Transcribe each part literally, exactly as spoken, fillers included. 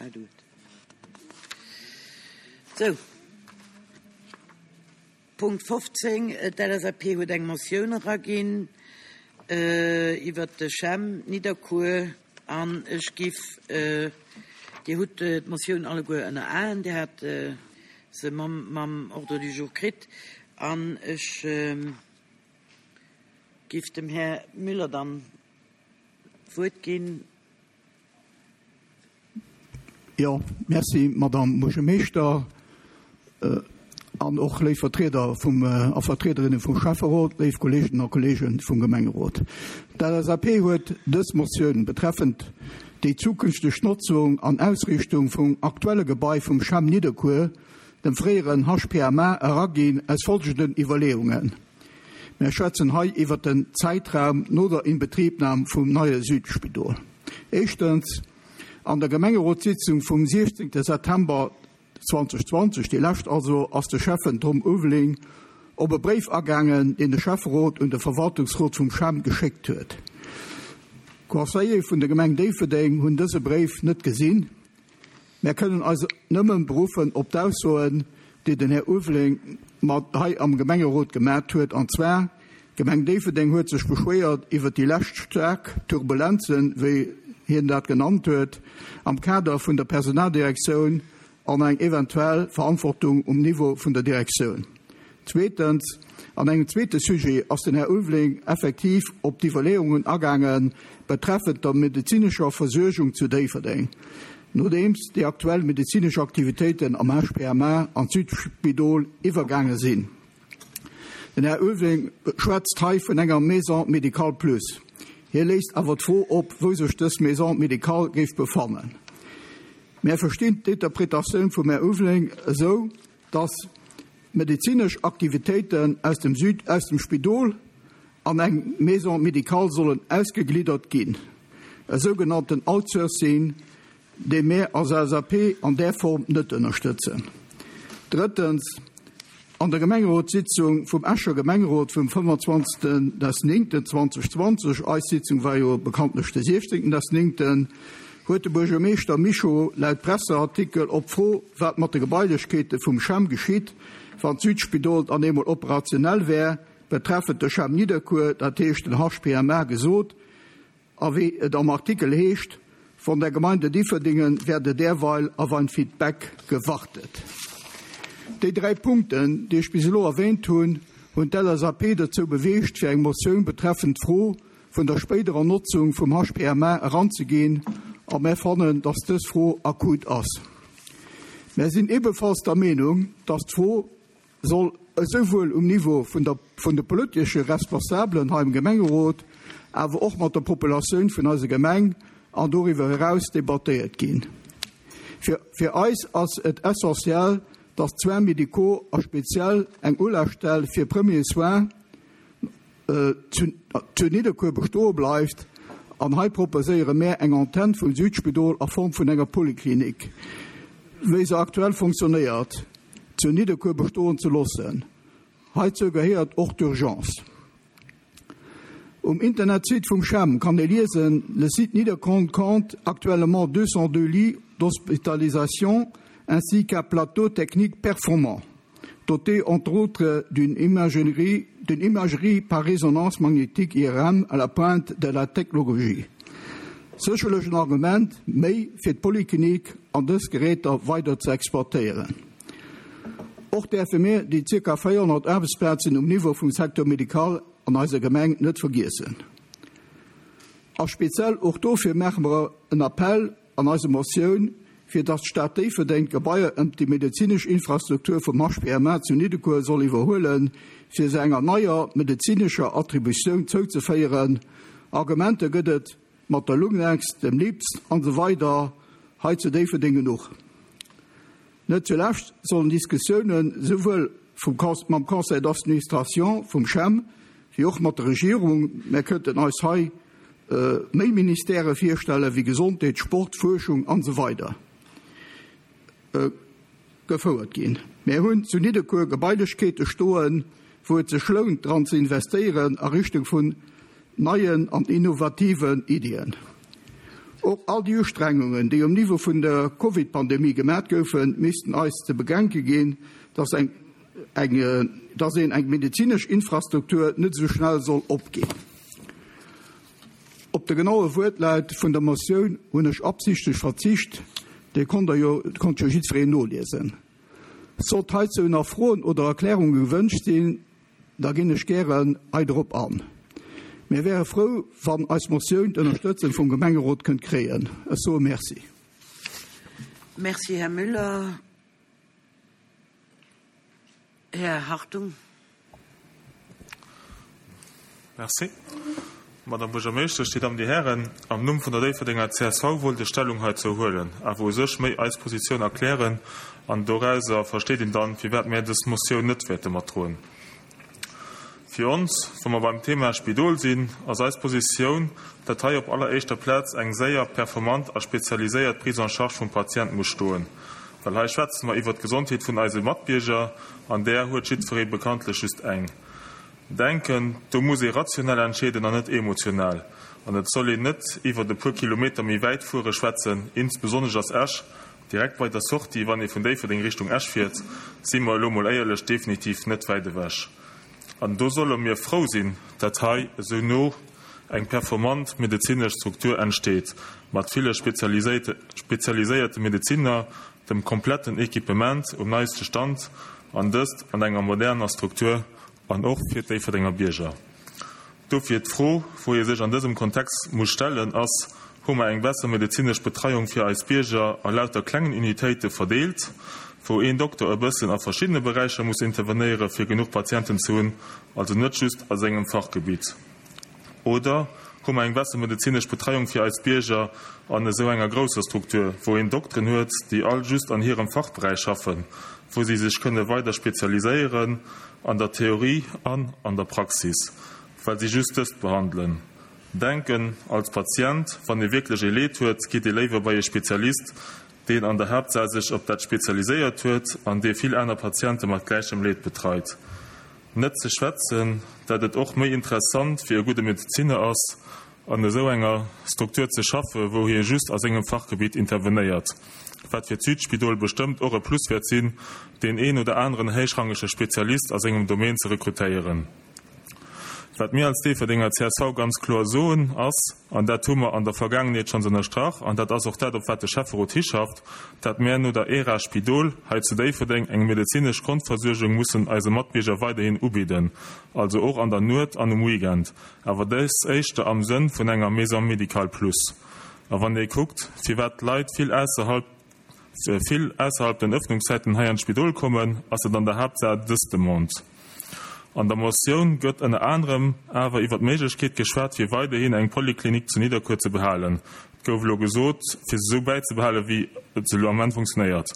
I do it. Sou, Punkt fofzéng, D'L S A P huet eng Motioun eraginn iwwert de CHEM Nidderkuer an ech giff, Dir hutt d'Motioun alleguer ënner Aen, Dir hat se mam mam Ordre du jour kritt an ech giff dem Här Müller dann d'Wuert ginn. Jo, merci, Madame Buergermeeschter, an och léif Vertrieder vum a Vertriederinne vum Schäfferot, léif Kolleegen a Kolleegen vum Gemengerot. D'L S A P huet dës Motioun betreffend déi zukünfteg Notzung an Ausriichtung vum aktuelle Gebai vum CHEM Nidderkuer, dem fréieren H P M A, eraginn aus folgenden Iwwerleeungen. Mir schwätzen hei iwwer den Zäitraum no der Inbetriebnam vum neie Südspidol. Éischtens, an der Gemengerotssitzung vum siechzéngte September zweedausendzwanzeg, déi lescht also, ass de Schäffen Tom Ulveling op e Bréif agaangen, deen de Schäfferot un de Verwaltungsrot vum CHEM geschéckt huet. D'Conseiller vun der Gemeng Déifferdeng hunn dëse Bréif net gesinn. Mir kënnen eis nëmme beruffen op d'Aussoen, déi den Här Ulveling mat hei am Gemengerot gemaach huet, an zwar: D'Gemeng Déifferdeng huet sech beschwéiert iwwer déi lescht staark Turbulenzen, wéi hien dat genannt huet, am Kader vun der Personaldirektioun an eng eventuell Verantwortung um Niveau vun der Direktioun. Zweetens, an engem zweete Sujet ass den Här Ulveling effektiv op d'Iwwerleeungen agaange betreffend der medezinescher Versuergung zu Déifferdeng, nodeems déi aktuell medezinesch Aktivitéiten am H P M A an d'Südspidol iwwergaange sinn. Den Här Ulveling schwätzt hei vun enger Maison médicale plus. Hie léisst awer d'Fro op, wou sech dës Maison médicale géif befannen. Mir verstinn d'Interpretatioun vum Här Ulveling esou, dass medezinesch Aktivitéiten aus dem Süd aus dem Spidol an eng Maison médicale sollen ausgegliddert ginn. E sougenannten Outsourcing, dee mir als L S A P an där Form net ënnerstëtzen. Drëttens, an der Gemengerotssitzung vum Escher Gemengerot vum fënnefanzwanzegsten neunten zweedausendzwanzeg, eis Sitzung war jo bekanntlech de siechzéngten neunten, huet de Buergermeeschter Mischo laut Presseartikel op d'Fro, wat mat de Gebailechkeete vum CHEM geschitt, wann d'Südspidol dann eemol operationell wär, betreffend de CHEM Nidderkuer, dat heescht den H P M A, gesot, a wéi et am Artikel heescht: „Von der Gemeinde Differdingen werde derweil auf ein Feedback gewartet.“ Déi dräi Punkten, déi ech bis elo erwäänt hunn, hunn d'L S A P dozou beweegt, fir eng Motioun betreffend d'Fro vun der spéiderer Notzung vum H P M A eranzeginn, a mir fannen, dass dës Fro akut ass. Mir sinn ebenfalls der Meenung, dass d'Fro soll esouwuel um Niveau vun der vun de politesche Responsabelen hei im Gemengerot, awer och mat der Populatioun vun eiser Gemeng an doriwwer eraus debattéiert ginn. Fir, fir eis ass et essentiell, dass d'Soins médicaux a speziell eng Ulafstell fir Premiers soins äh, zu, zu Nidderkuer bestoe bleift, an hei proposéiere mir eng Antenn vum Südspidol a Form vun enger Poliklinik, wéi se aktuell funktionéiert, zu Nidderkuer bestoen ze loossen. Heizou gehéiert och d'Urgence. Um Internetsite vum CHEM kann ee liesen: „Le site Niederkorn compte actuellement deux cent deux lits d'hospitalisation ainsi qu'un plateau technique performant, doté entre autres d'une imagerie, d'une imagerie par résonance magnétique I R M à la pointe de la technologie.“ Sécherlech en Argument méi fir d'Poliklinik an dës Geräter weider ze exploitéieren. Och däerfe mir déi zirka véierhonnert Aarbechtsplazen um Niveau vum Secteur médical an eiser Gemeng net vergiessen. A speziell och dofir maache mer en Appell an eiser Motioun, fir datt d'Stad Déifferdeng d'Gebaier ëm déi medezinesch Infrastruktur vum H P M A zu Nidderkuer soll iwwerhuelen, fir se enger neier medezinescher Attributioun zouzeféieren. Argumenter gëtt et mat der Lunex, dem LIPS an esou weider hei zu Déifferdeng genuch. Net zulescht sollen Diskussiounen souwuel vum mam Conseil d'administration vum CHEM wéi och mat der Regierung, mir kënnten eis hei äh, méi Ministèrë virstelle wéi Gesondheet, Sport, Fuerschung an esou weider äh, gefouert ginn. Mir hunn zu Nidderkuer Gebailechkeete stoen, wou et sech lount, dran ze investéieren a Richtung vun neien an innovativen Iddien. Och all déi Ustrengungen, déi um Niveau vun der Covid-Pandemie gemat goufen, missten eis ze bedenke ginn, dass eng, eng, dass een eng medezinesch Infrastruktur net sou schnell soll opginn. Op de genaue Wuertlaut vun der Motioun hunn ech absichtlech verzicht, dee konnt der jo, konnt jo jiddwereen noliesen. Sollt heizou nach Froen oder Erklärunge gewënscht sinn, da ginn ech gären hei drop an. Mir wäre frou, wann eis Motioun d'Ënnerstëtzung vum Gemengerot kënnt kréien. Ech soe Merci. Merci, Här Müller. Här Hartung. Merci. Madame Buergermeeschtesch, Dir Dammen, Dir Hären, am Numm vun der Déifferdenger C S V wollt ech Stellung heizou huelen, awer u sech méi eis Positioun erklären, an dorauser versteet een dann, firwat mir dës Motioun net wäerte matdroen. Fir ons, wa mer beim Thema Spidol sinn, ass eis Positioun, dat hei op alleréischter Plaz eng séier, performant a spezialiséiert Prise en charge vum Patient muss stoen. Well hei schwätze mer iwwer d'Gesondheet vun eise Matbierger, an där huet jiddweree bekanntlech just eng. Denken, do muss ee rationell entscheeden an net emotional. An et soll een net iwwer e puer Kilometer méi wäit fuere schwätzen, insbesonnesch ass Esch direkt bei der Sortie, wann ee vun Déifferdeng Richtung Esch fiert, si mer elo mol éierlech, definitiv net wäit ewech. An do solle mir frou sinn, dat hei esou no eng performant medezinesch Struktur entsteet, mat ville spezialiséierte spezialiséierte Medeziner, dem kompletten Equipement um neiste Stand an dëst an enger moderner Struktur an och fir d'Déifferdenger Bierger. Dofir d'Fro, wou ee sech an dësem Kontext muss stellen, ass, Hu mer eng besser medezinesch Betreiung fir eis Bierger a lauter klengen Unitéite verdeelt, wou een Dokter e bëssen a verschiddene Beräicher muss intervenéiere fir genuch Patienten ze hunn, also net just a sengem Fachgebitt? Oder hu mer eng besser medezinesch Betreiung fir eis Bierger an esou enger grousser Struktur, wou een Dokteren huet, déi all just an hirem Fachberäich schaffen, wou si sech kënne weider spezialiséieren an der Theorie an an der Praxis, well si just dëst behandelen? Denken, als Patient, wann ee wierklech e Leed huet, geet ee léiwer bei e Spezialist, deen an der Haaptsaach sech op dat spezialiséiert huet an dee vill aner Patiente mat gläichem Leed betreit. Net ze schwätzen, dat et och méi interessant fir e gudde Medeziner ass, an esou enger Struktur ze schaffe wou hie just a sengem Fachgebitt intervenéiert, wat fir d'Südspidol bestëmmt och e Plus wäert sinn, deen een oder aneren héichrangege Spezialist a sengem Domaine ze rekrutéieren. Wat mir als Déifferdenger C S V ganz kloer soen ass, an dat hu mer an der Vergaangenheet schonns ënnerstrach, an dat ass och dat, op wat de Schäfferot hischafft, dat mir no der Ära Spidol hei zu Déifferdeng eng medezinesch Grondversuergung mussen eise Matbierger weiderhin ubidden, also och an der Nuet an um Weekend, awer dës éischter am Sënn vun enger Maison médicale plus. A wann ee kuckt, firwat d'Leit vill ausserhalb vill ausserhalb den Ëffnungszäiten hei an d'Spidol kommen, ass et an der Haaptsaach dës Demande. An der Motioun gëtt ënner anerem awer iwwer d'Méiglechkeet geschwat, fir weiderhin eng Poliklinik zu Nidderkuer ze behalen. Et gouf elo gesot, fir se esou bäizebehalen, wéi et se elo am Moment funktionéiert.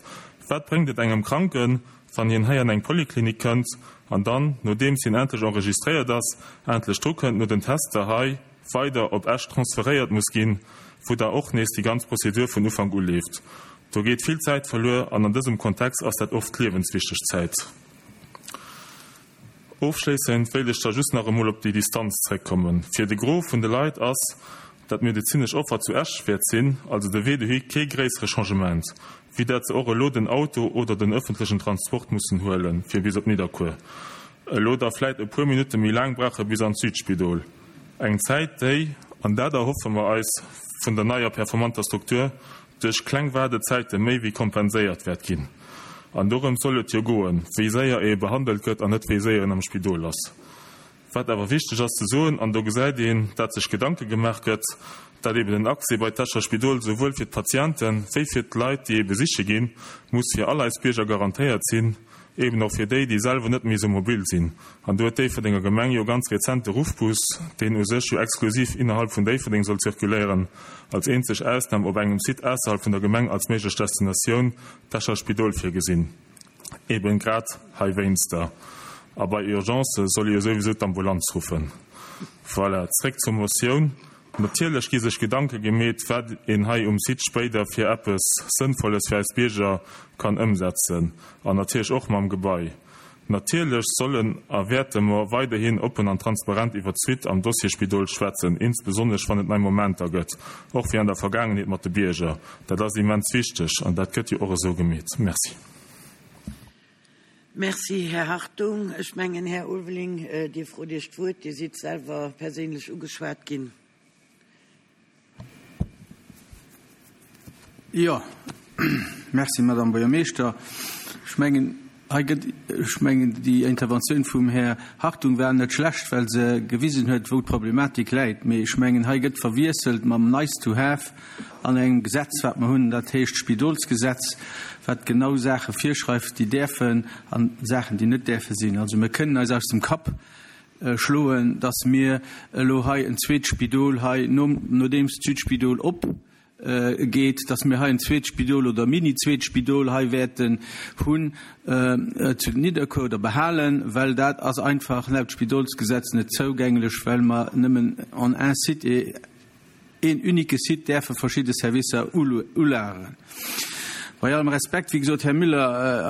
Wat bréngt et engem Kranken, wann hien hei an eng Poliklinik kënnt an dann, nodeems hien endlech enregistréiert ass, endlech dru kënnt, no den Tester hei weider op Esch transferéiert muss ginn, wou da och nees déi ganz Prozedur vun Ufank u leeft? Do geet vill Zäit verluer an an dësem Kontext ass dat oft liewenswichteg Zäit. Ofschléissend wéilt ech da just nach emol op déi Distanz zréckkommen. Fir de Gros vun de Leit ass dat medezinesch Offer zu Esch wäert sinn, also de Wee dohi, kee gréissere Changement, wéi dat se och elo den Auto oder den ëffentlechen Transport mussen huelen, fir bis op Nidderkuer. Elo da vläit e puer Minutte méi laang brauche bis an d'Südspidol. Eng Zäit, déi, an dat erhoffe mer eis vun der neier performanter Struktur, duerch kleng Waardezäite méi wéi kompenséiert wäert ginn. An dorëm soll et jo goen, wéi séier ee behandelt gëtt an net wéi séier een am Spidol ass. Wat awer wichteg ass ze soen, an do gesäit een, dat sech Gedanke gemaach gëtt, dat eben den Accès bei d'Escher Spidol souwuel fir d'Patienten wéi fir d'Leit, déi ee besiche ginn, muss fir all eis Bierger garantéiert sinn, eben och fir déi, déi selwer net méi esou mobil sinn. An do huet d'Déifferdenger Gemeng jo ganz rezent de Ruffbus, deen u sech jo exklusiv innerhalb vun Déifferdeng soll zirkuléieren, als eenzeg Ausnam op engem Site ausserhalb vun der Gemeng als méiglech Destinatioun d'Escher Spidol virgesinn. Eben grad heiwéinster. A bei Urgence soll ee jo souwisou d'Ambulanz ruffen. Voilà, zréck zur Motioun. Natierlech gi sech Gedanke gemeet, wat een hei um Site spéider fir eppes Sënnvolles fir eis Bierger kann ëmsetzen, an natierlech och mam Gebai. Natierlech sollen a wäerte mer weiderhin oppen an transparent iwwer d'Suite am Dossier Spidol schwätzen, insbesonnesch wann et nei Momenter gëtt, och wéi an der Vergaangenheet mat de Bierger. Dat ass immens wichteg an dat gëtt jo och esou gemeet. Merci. Merci, Här Hartung. Ech mengen, Här Ulveling, Dir frot Iech d'Wuert. Dir sidd selwer perséinlech ugeschwat ginn. Jo, merci, Madame Buergermeeschter. Ech mengen, hei gëtt, ech mengen, déi Interventioun vum Här Hartung war net schlecht, well se gewisen huet, wou d'Problematik läit. Mee ech mengen, hei gëtt verwiesselt mam Nice to have an engem Gesetz, wat mer hunn, dat heescht d'Spidolsgesetz, wat genau Saache virschreift, déi däerfen an Saachen, déi net däerfe sinn. Also mir kënnen eis aus dem Kapp schloen, dass mir elo hei en zweet Spidol hei, nodeems d'Südspidol op geet, dass mir hei en zweet Spidol oder mini-zweet Spidol hei wäerten hunn zu Nidderkuer oder behalen, well dat ass einfach laut Spidolsgesetz net zougänglech, well mer nëmmen en un site et een unique site däerfe verschidde Servicer ulageren. Bei allem Respekt, wéi gesot, Här Müller,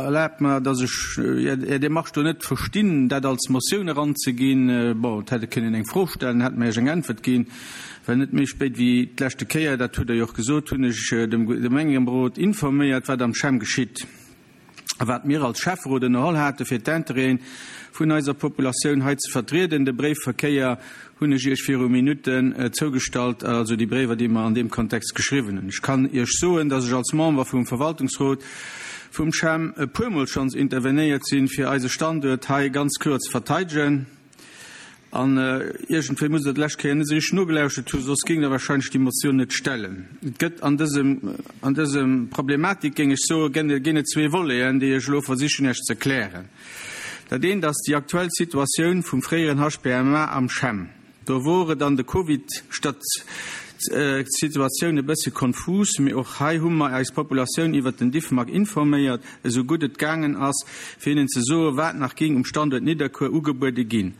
erlaabt mer, dass ech Är Démarche do net verstinn, dat als Motioun eranzeginn. Bon, et hätt ee kënnen eng Fro stellen, hätte mer Iech eng Äntwert ginn, well net méi spéit wéi d'leschte Kéier, dat hutt Der jo och gesot, hunn ech de Gemengerot informéiert, wat am CHEM geschitt a wat mir als Schäfferot ënnerholl hate fir d'Intérêten vun eiser Populatioun hei ze vertrieden. De Bréifverkéier hunn ech Iech viru Minutten zougestallt, also déi Bréiwer, déi mer an deem Kontext geschriwwen hunn. Ech kann Iech soen, dass ech als Member vum Verwaltungsrot vum CHEM e puermol schonns intervenéiert sinn, fir eise Standuert hei ganz kloer ze verteidegen. An iergendwéi musst Der d'lescht Kéier net esou richteg nogelauschert hunn, soss géingt Der wahrscheinlech déi Motioun net stellen. Et gëtt an dësem, an dësem Problematik, géing ech soen, ginn et zwee Voleten, déi ech elo versichen Iech ze erklären. Dat eent ass déi aktuell Situatioun vum fréieren H P M A am CHEM. Do wor et an de Covid-Situatioun e bësse konfus, mee och hei hu mer eis Populatioun iwwert den Diffmag informéiert, esou gutt et gaangen ass, fir hinnen ze soen, wat nach géing um Standuert Nidderkuer ugebuede ginn.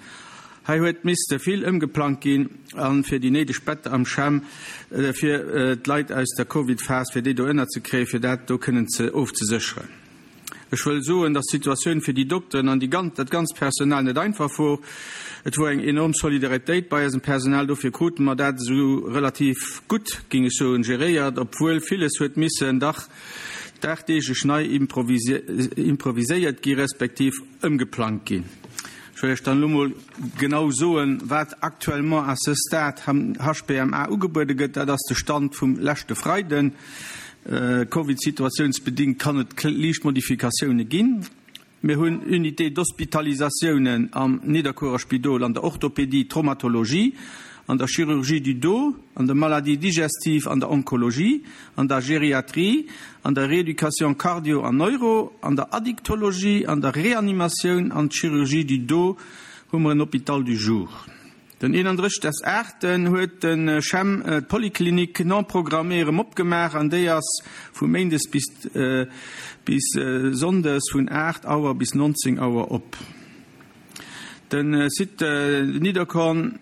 Hei huet misste vill ëmgeplangt ginn an fir déi néideg Better am CHEM fir d'Leit aus der Covid-Phas, fir déi do ënnerzekréien, fir dat do kënnen ze ofzesécheren. Ech wëll soen, dass d'Situatioun fir déi Dokteren an déi ganz, dat ganzt Personal net einfach wor. Et wor eng enorm Solidaritéit bei eisem Personal, dofir krute mer dat esou relativ gutt, géing ech soen, geréiert, obwuel villes huet missen dach dagdeeglech nei improviséiert gi respektiv ëmgeplangt ginn. Ech wëll Iech dann elo mol genau soen, wat actuellement à ce stade am H P M A ugebuede gëtt. Dat ass de Stand vum leschte Freiden. Covid-situationsbedingt kann et liicht Modifikatioune ginn. Mir hunn Unité d'Hospitalisatiounen am Nidderkuerer Spidol an der Orthopédie, Traumatologie, an der Chirurgie du dos, an der Maladie digestive, an der Onkologie, an der Geriatrie, an der Rééducation cardio an neuro, an der Addictologie, an der Reanimatioun, an Chirurgie du dos hu mer en Hôpital du jour. Den eenanddrëssegsten achten huet den CHEM d'Poliklinik non programmée erëm opgemaach an déi ass vu Méindes bis, äh, bis Sonndes vun aacht Auer bis neunzehn Auer op. Den Site Niederkorn,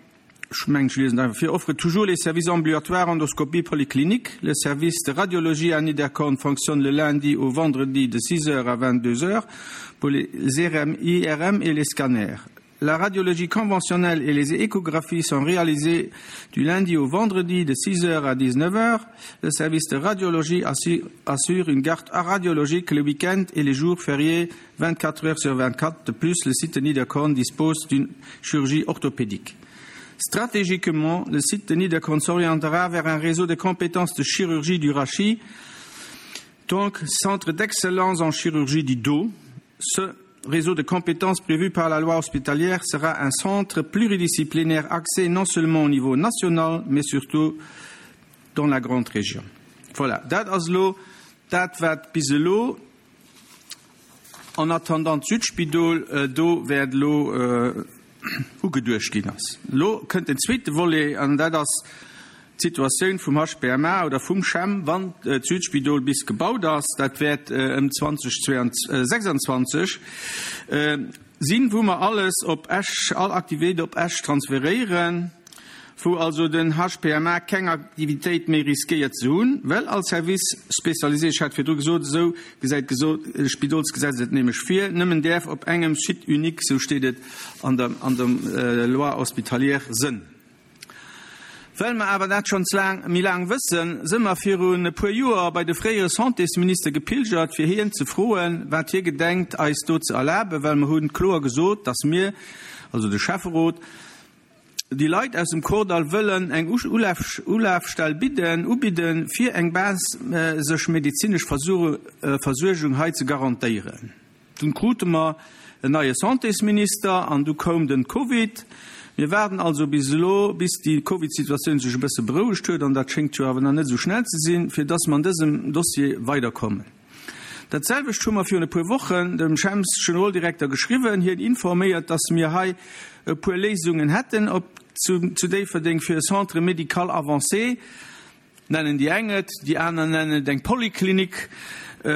ech mengen, ech liesen einfach vir, offre toujours les services ambulatoires endoscopie polyclinique. Le service de radiologie à Niederkorn fonctionne le lundi au vendredi de six heures à vingt-deux heures pour les I R M, I R M et les scanners. La radiologie conventionnelle et les échographies sont réalisées du lundi au vendredi de six heures à dix-neuf heures. Le service de radiologie assure, assure une garde radiologique le week-end et les jours fériés vingt-quatre heures sur vingt-quatre. De plus, le site de Niederkorn dispose d'une chirurgie orthopédique. Stratégiquement, le site de Niederkorn s'orientera vers un réseau de compétences de chirurgie du rachis, donc centre d'excellence en chirurgie du dos. Ce réseau de compétences prévu par la loi hospitalière sera un centre pluridisciplinaire axé non seulement au niveau national, mais surtout dans la grande région. Voilà, dat ass lo, dat wat bis elo, en attendant d'Südspidol, äh, do wäert lo, äh, ugeduecht ginn ass. Lo kënnt den zweete Volet, an dat ass d'Situatioun vum H P M A oder vum CHEM, wann d'Südspidol bis gebaut ass, dat wäert, äh, ëm zwanzig sechsundzwanzig, äh, sinn, wo mer alles op Esch, all Aktivitéit op Esch transferieren. wou also den H P M A keng Aktivitéit méi riskéiert ze hunn, well all Service spécialisé, ech hat virdru gesot, esou gesäit d'Spidolsgesetz et nämlech vir, nëmmen däerf op engem Site unique, sou steet et an der, an der äh, Loi hospitalière sënn. Well mer awer dat schonns laang, méi laang wëssen, si mer virun e puer Joer bei de fréiere Santésminister gepilgert, fir hien ze froen, wat hie gedenkt eis do ze erlaben, well mer hunn kloer gesot, dass mir, also de Schäfferot, déi Leit aus dem Kordall wëllen eng Ulaf, Ulafstell bidden, ubidden, fir eng basesch medezinesch Versuergung hei ze garantéieren. Dunn krute mer en neie Santésminister an du koum den Covid. Mir waarden also bis elo, bis déi Covid-Situatioun sech e bësse berouegt huet, an dat schéngt jo awer nach net esou schnell ze sinn, fir dass mer an dësem Dossier weiderkommen. Dat selwecht hu mer virun e puer Wochen dem CHEMS-Generaldirekter geschriwwen, hien informéiert, dass mir hei e puer Léisungen hätten op zu, zu Déifferdeng fir e Centre médical avancé, nennen déi eng et, déi aner nennen et eng Poliklinik,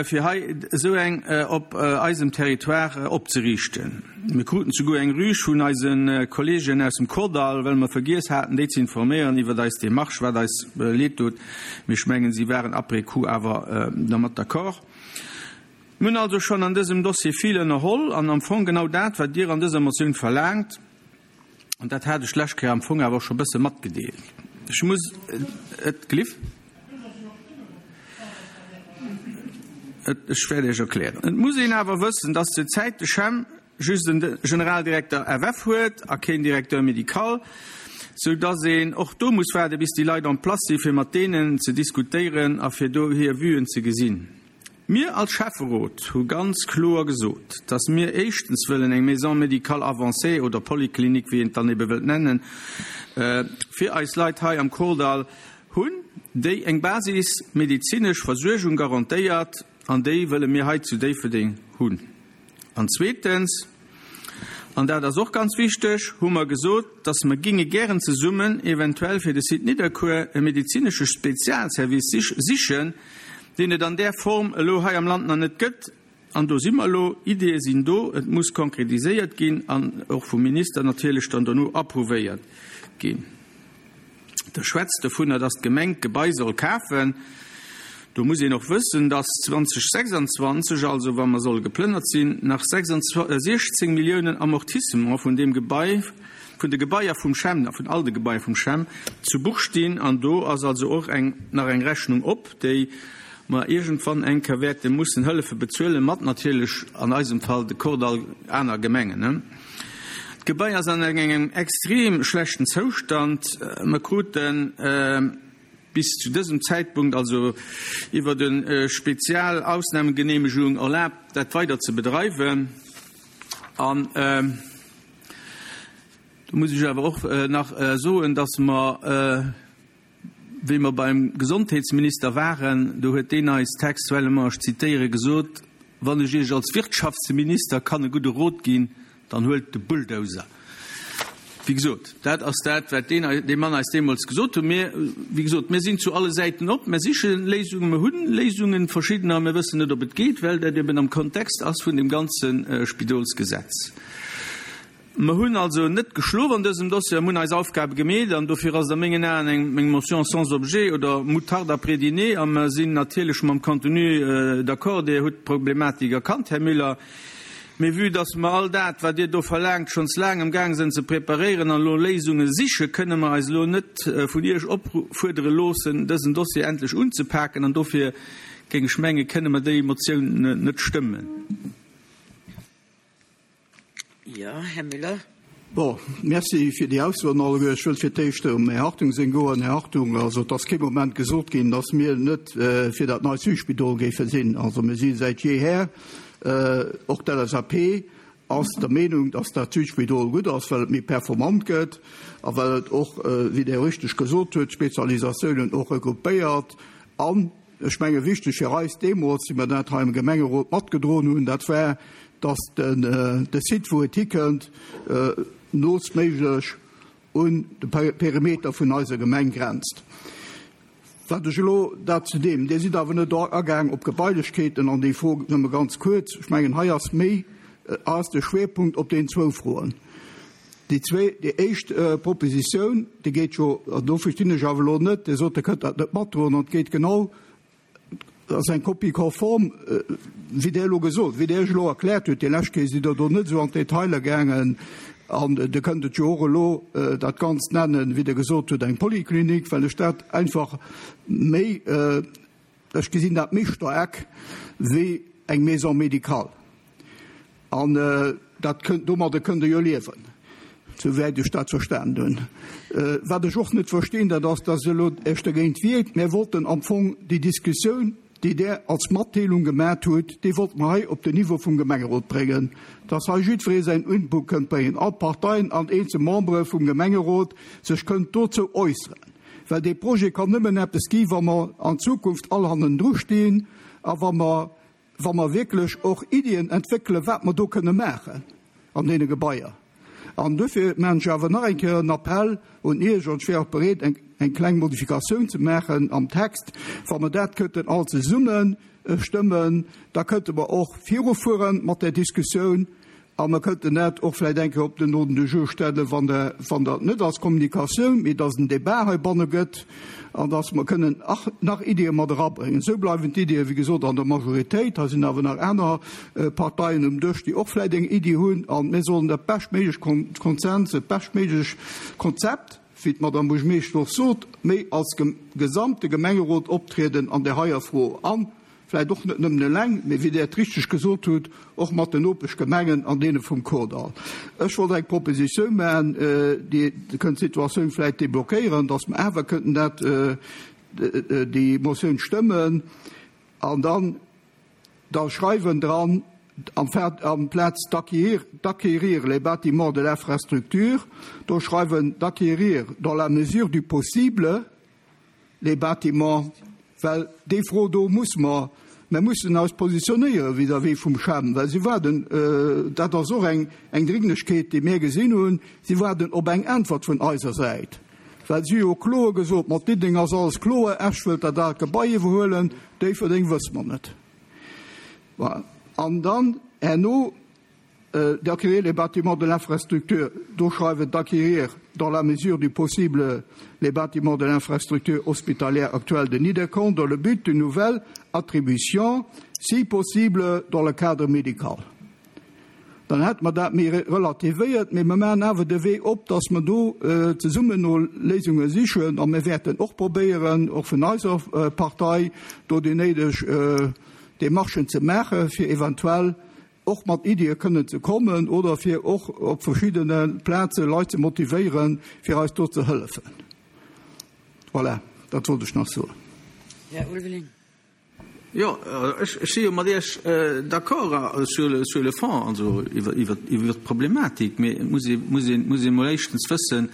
fir hei esou eng op eisem Territoire opzeriichten. Mir kruten souguer eng Rüg vun eise Kolleegen aus dem Kordall, well mer vergiess haten, déi ze informéieren iwwer eis Demarche, wat eis leed doet. Mee ech mengen, si waren après coup awer dermat d'accord. Mir hunn also schonn an dësem Dossier vill ënnerholl an am Fong genau dat, wat Dir an dëser Motioun verlaangt, an dat hat ech d'lescht Kéier am Fong awer scho bësse matgedeelt. Ech muss et gelift. Ech wäert Iech erklären. Et muss een awer wëssen, dass zur Zäit de CHEM just en Generaldirekter F F huet a keen Directeur médical, sou dass een och do muss waarde bis déi Leit en place si fir mat deenen ze diskutéieren a fir do hir Vuen ze gesinn. Mir als Schäfferot hu ganz kloer gesot, dass mir éischtens wëllen eng Maison médicale avancée oder Poliklinik, wéi een et dann ebe wëllt nennen, fir eis Leit hei am Kordall hunn, déi eng basismedezinesch Versuergung garantéiert, an déi wëlle mir hei zu Déifferdeng hunn. An zweetens, an dat ass och ganz wichteg, hu mer gesot, dass mer ginge gären zesummen eventuell fir de Site Nidderkuer e medezinesche Spezialservice sichen, deen et an där Form elo hei am Land nach net gëtt. An do si mer elo, Ideeë sinn do, et muss konkretiséiert ginn an och vum Minister natierlech dann dono approuvéiert ginn. Der schwätzt dovunner, dass d'Gemeng d'Gebai soll kafen. Do muss een och wëssen, dass zweedausendsechsanzwanzeg, also wa mer solle geplënnert sinn, nach siechzéng Milliounen Amortissement vun deem Gebai, vun de Gebaier vum CHEM, vun all de Gebaier vum CHEM, zu Buch stinn. An do ass also och eng, nach eng Rechnung op, déi mer iergendwann eng Kéier wäerte mussen hëllefe bezuelen, mat natierlech an eisem Fall de Kordall aner Gemengen. D'Gebai ass an engem extrem schlechten Zoustand. Mer kruten bis zu dësem Zäitpunkt also iwwer de Spezialausnahmegenehmegung erlaabt, dat weider ze bedreiwen. An do muss ech awer och nach soen, dass mer, wéi mer beim Gesondheetsminister waren, do huet deen eis textuellement, ech zitéiere, gesot, Wann ech Iech als Wirtschaftsminister kann e gudde Rot ginn, dann huelt de Bulldozer. Wéi gesot, dat ass dat, wat deen, dee Mann eis deemools gesot huet. Mir, wéi gesot, mir sinn zu alle Säiten op, mir siche Léisungen, mir hunn Léisungen, verschiddener, mir wëssen net, ob et geet, well dat eben am Kontext ass vun dem ganze Spidolsgesetz. Mer hunn also net geschlof an dësem Dossier, mir hunn eis Aufgabe gemeet an dofir ass et a mengen Aen eng meng Motion sans objet oder moutarde après dîner a mer sinn natierlech mam Contenu d'accord. Dir hutt d'Problematik erkannt, Här Müller. Mee vue dass mer all dat, wat Dir do verlaangt, schonns laang am Gaang sinn ze preparéieren an elo Léisunge siche, kënne mer eis elo net vun Iech opfuerdere loossen, dësen Dossier endlech unzepaken an dofir, géing ech mengen, kënne mer déi Motioun net stëmmen. Jo, Här Müller. Bon, merci fir déi Aussoen alleguer. Ech wëll fir d'éischt um Här Hartung seng goen. Här Hartung, also et ass kee Moment gesot ginn, dass mir net fir dat neit Südspidol géife sinn. Also mir si säit jeeher, och d'L S A P ass der Meenung, dass dat Südspidol gutt ass, well et méi performant gëtt a well et och, wéi Der richteg gesot hutt, d'Spezialisatiounen och regroupéiert. An ech menge wichteg fir eis deemools, wéi mer dat hei am Gemengerot matgedroen hunn, dat war, dass den de Site, wou et hikënnt, noostméiglech un de Perimeter vun eiser Gemeng grenzt. Wat ech elo dat zu deem. Dir sidd awer net agaang op Gebailechkeeten an déi Fro nëmme ganz kuerz. Ech mengen, hei ass méi ass de Schwerpunkt op den zwou Froen. Déi zwee, déi éischt Propositioun, déi geet jo, an do verstinn ech awer elo net, Dir sot, Der kënnt dat net matdroen, an et geet genau, dat ass eng Copie conforme, wéi Der elo gesot, wéi Der Iech elo erkläert hutt. Déi lescht Kéier sidd Der do net esou an d'Detailer gaangen. An Der kënnt et jo och elo dat Ganzt nennen, wéi Der gesot hutt, eng Poliklinik, well ech dat einfach méi, ech gesinn dat méi staark wéi eng Maison médicale. An dat kënnt, domadder kënnt Der jo liewen, souwäit ech dat verstanen hunn. Wat ech och net verstinn, dat ass, dass Der elo Iech dergéint wiert. Mir wollten am Fong déi Diskussioun, déi Der als Matdeelung gemat hutt, déi wollte mer hei op den Niveau vum Gemengerot bréngen, dass hei jiddweree säin Input kënnt bréngen, all d'Parteien an eenzel Membere vum Gemengerot sech kënnt dozou äusseren. Well dee Projet kann nëmmen eppes gi wa mer an Zukunft all hannendru stinn a wa mer, wa mer wierklech och Iddien entwéckelen, wat mer do kënne maachen an deene Gebaier. An duerfir maachen ech awer nach eng Kéier en Appell un Iech, an ech wär och bereet, eng, eng kleng Modifikatioun ze maachen am Text, wa mer dat kënnten all zesumme stëmmen, da kënnte mer och virufuere mat där Diskussioun. A mer kënnten dat och vläicht eng Kéier op den Ordre du jour stellen, wann Der, wann Der net als Kommunikatioun, mee dass en Débat heibanne gëtt an dass mer kënnen nach Iddie mat erabréngen. Esou bleiwen d'Iddie, wéi gesot, an der Majoritéit. Hei sinn awer nach aner Parteien um Dësch, déi och vläicht eng Iddi hunn. A mir sollen dat beschtméiglech Konsens, dat beschtméiglech Konzept, wéi d'Madame Buergermeeschtesch och sot, méi als gesamte Gemengerot optrieden an där heier Fro. An vläicht och net nëmmen eleng, mee wéi Der et richteg gesot hutt, och mat den Nopeschgemengen an deene vum Kordall. Ech wollt eng Propositioun maachen, déi kënnt d'Situatioun vläicht deblockéieren, dass mer awer kënnten dat, déi Motioun stëmmen an dann da schreiwen dran, amplaz d'acquérir les bâtiments de l'infrastructure, do schreiwen d'acquérir dans la mesure du possible les bâtiments, well déi Fro do muss mer, mer mussen eis positionéiere vis-à-vis vum CHEM, well si waarden, dat ass och eng eng Dringlechkeet, déi mir gesinn hunn, si waarden op eng Äntwert vun eiser Säit, well si hu jo kloer gesot, mat Diddeleng ass alles kloer, Esch wëllt dat aalt Gebai iwwerhuelen, Déifferdeng wësse mer net. Voilà. An dann herno d'acquérir les bâtiments de l'infrastructure, do schreiwen d'acquérir dans la mesure du possible les bâtiments de l'infrastructure hospitalière actuelle de Niederkorn dans le but d'une nouvelle attribution, si possible dans le cadre médical. Dann hätte mer dat méi relativéiert, mee mer maachen awer de Wee op, dass mer do zesummen no Léisunge sichen a mir wäerten och probéieren, och vun eiser Partei do déi néideg Démarchen ze maachen, fir eventuell och mat Iddie kënnen ze kommen oder fir och op verschiddene Plaze Leit ze motivéieren, fir eis do ze hëllefen. Voilà, dat wollt ech nach soen. Här Ulveling. Jo, ech si jo mat Iech d'accord sur le, sur le fond, also iwwer, iwwer, iwwer d'Problematik, mee et muss ee, muss ee, muss ee mol éischtens wëssen,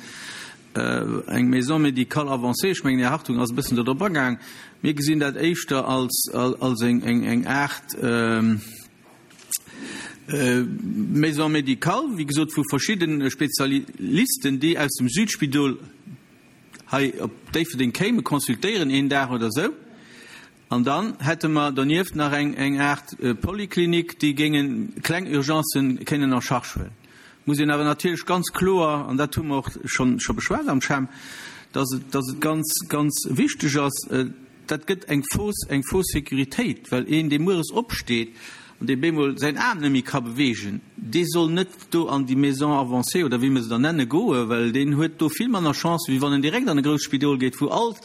eng Maison médicale avancée, ech mengen, Här Hartung ass e bëssen do drop agaang, mir gesinn dat éischter als, als eng, eng, eng Aart Maison médicale, wéi gesot, vu verschidde Spezialisten, déi aus dem Südspidol hei op Déifferdeng kéime consultéieren een Dag oder esou. An dann hätte mer donieft nach eng, eng Aart Poliklinik, déi géinge kleng Urgencen kénnen en charge huelen. Muss een awer natierlech ganz kloer, an dat hu mer och schonn, scho beschwat am CHEM, dass et, dass et ganz, ganz wichteg ass, dat gëtt eng fausse, eng fausse Sécuritéit, well een, dee mueres opsteet an dee bemol säin Aarm net méi ka beweegen, dee soll net do an déi Maison avancée oder wéi mer se da nenne goen, well deen huet do vill manner Chance, wéi wann en direkt an e grousst Spidol geet, wou all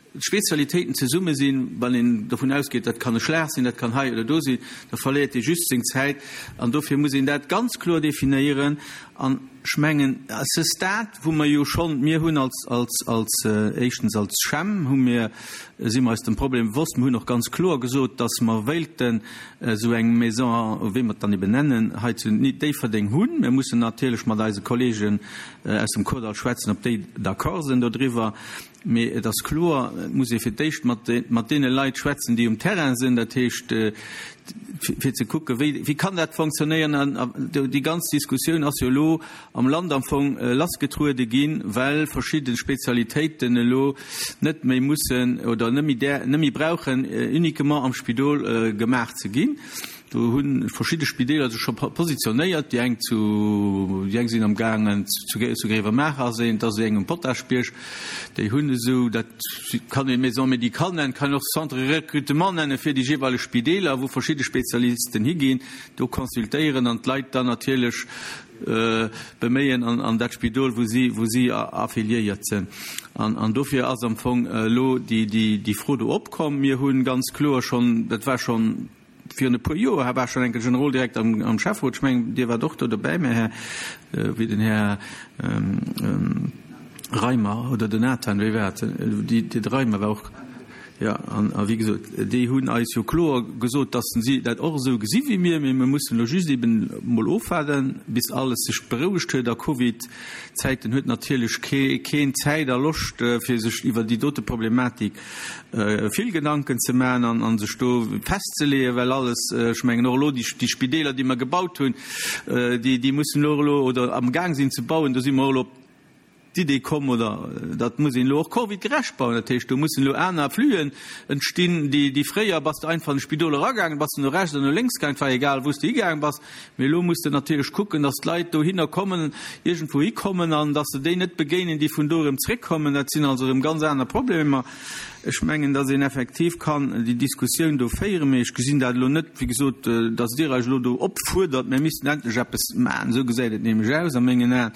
d'Spezialitéiten zesumme sinn, wann een dovun ausgeet, dat kann e Schlag sinn, dat kann hei oder do sinn, da verléiert ee just seng Zäit. An dofir muss een dat ganz kloer definéieren. An ech mengen, à ce stade, wou mer jo schonn, mir hunn als, als, als, éischtens als CHEM hu mir, si mer eis dem Problem bewosst, mir hunn och ganz kloer gesot, dass mer wéilten esou eng Maison, wéi mer et dann eben nennen, hei zu Déifferdeng hunn. Mir mussen natierlech mat eise Kollegen aus dem Kordall schwätzen, ob déi d'accord sinn dodriwwer. Mee et ass kloer, et muss ee fir d'éischt mat mat deene Leit schwätzen, déi um Terrain sinn, dat heescht, fir ze kucken, wéi wéi kann dat fonctionnéieren. An déi ganz Diskussioun ass jo elo am Land am Fong lassgetruede ginn, well verschidde Spezialitéiten elo net méi mussen oder net méi där net méi brauchen uniquement am Spidol gemaach ze ginn. Do hu verschidde Spideeler sech scho positionéiert, déi eng zu, déi eng sinn am gaangen zu, zu Gréiwemaacher ass een, et ass eng um Potaschbierg, déi hunn esou, dat kann ee Maison médicale nennen, kann een och Centre de recrutement nenne fir déi jeeweileg Spideeler, wou verschidde Spezialisten higinn, do consultéieren an d'Leit dann natierlech beméien an, an dat Spidol, wou si, wou si affiliéiert sinn. An, an dofir ass am Fong elo déi, déi, déi Fro do opkomm. Mir hunn ganz kloer schonn, dat war schonn, Virun e puer Joer war schonn enke Generoldirekter am Schäfferot, ech mengen, Dir waart och do dobäi, mä Här, wéi den Här Reimer oder den Nathan, wéi war et, de Reimer war och, jo, an wéi gesot, déi hunn eis jo kloer gesot, dass si dat och esou gesi wéi mir, mee mir mussen elo just eben emol ofwaarden, bis alles sech berouegt huet. A Covid-Zäiten huet natierlech keen Zäit a Loscht, fir sech iwwer déi dote Problematik vill Gedanken ze maachen an sech do festzeleeën, well alles, ech mengen och elo déi Spideeler, déi mer gebaut hunn, déi mussen elo elo oder amgaang sinn ze bauen, do si mer och elo op d'Idee komm, oder dat muss een elo och covidgerecht bauen, dat heescht do mussen elo aner Fluen entstinn, déi fréier bass de einfach an de Spidol eragaangen, bass de no rechts oder no lénks gaangen, et war egal wou s de higaangen bass, mee elo muss de natierlech kucken, datt d'Leit dohinner kommen, iergendwou hikommen an datt se déi net begéinen, déi vun do erëm zréckkommen. Dat sinn also erëm ganz aner Problemer. Ech mengen, datt een effektiv kann déi Diskussioun do féieren, mee ech gesinn dat elo net, wéi gesot, datt Dir eis elo do opfuerdert, mir missten endlech eppes maachen. Esou gesäit et nämlech aus a mengen Aen,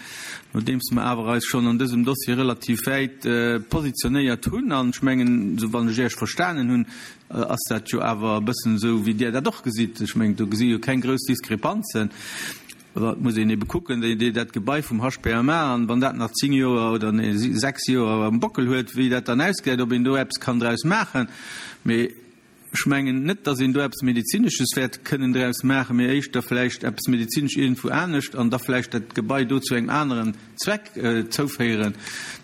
nodeems mer awer eis schonn an dësem Dossier relativ wäit positionéiert hunn. An ech mengen, esou wann ech Iech verstanen hunn, ass dat jo awer e bëssen esou, wéi Dir dat och gesitt. Ech mengen, do gesi jo keng grouss Diskrepanzen. Et muss een ebe kucken, dat Gebai vum H P M A, an wann dat nach zéng Joer oder sechs Joer am Bockel huet, wéi dat dann ausgesäit, ob een do eppes kann draus maachen. Mee ech mengen net, datt een do eppes Medezinesches wäert kënnen draus maachen, mee éischter vläicht eppes Medezinesch iergendwou anescht an da vläicht dat Gebai do zu engem aneren Zweck zouféieren.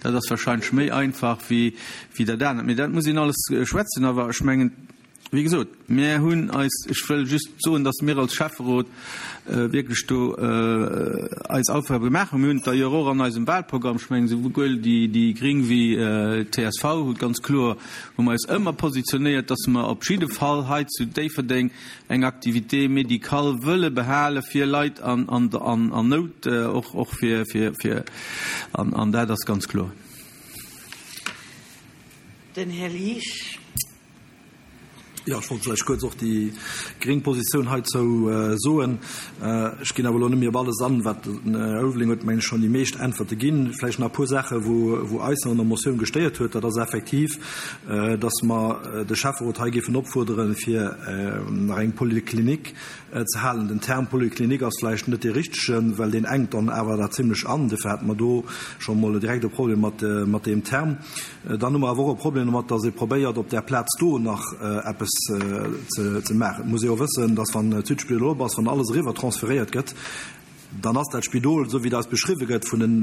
Dat ass wahrscheinlech méi einfach wéi dat anert. Mee dat muss een alles schwätzen. Awer ech mengen, wéi gesot, mir hunn eis, ech wëll just soen, datt mir als Schäfferot wierklech do eis Aufgabe gemaach hunn. Mir hunn et d'ailleurs och an eisem Wahlprogramm, ech mengen esouwuel déi Gring wéi d'C S V hu ganz kloer, hu mer eis ëmmer positionéiert, datt mer op jidde Fall hei zu Déifferdeng eng Activité médicale wëlle behale fir Leit an Nout, och fir, fir, an dat ass ganz kloer. Den Här Liesch. Jo, ech wollt vläicht kuerz och déi gréng Positioun heizou soen. Ech ginn awer elo net méi op alles an, wat den Här Ulveling huet, mengen ech, schonn déi meescht Äntwerte ginn. Vläicht nach e puer Saache wou, wou eis an der Motioun gestéiert huet. Dat ass effektiv, dass mer de Schäfferot hei géifen opfuerderen, fir nach eng Polyclinique ze halen. Den Term Polyclinique ass vläicht net dee richtegen, well deen engt dann awer dat zimlech an. Dofir hate mer do scho mol direkt e Problem mat, mat deem Term. Dann hu mer awer och e Problem domat, dass ee probéiert, op där Plaz do nach eppes ze, ze maachen. Et muss ee jo wëssen, dass wann d'Südspidol op ass, wann alles eriwwer transferéiert gëtt, dann ass dat Spidol, esou wéi dat eis beschriwwe gëtt vun den,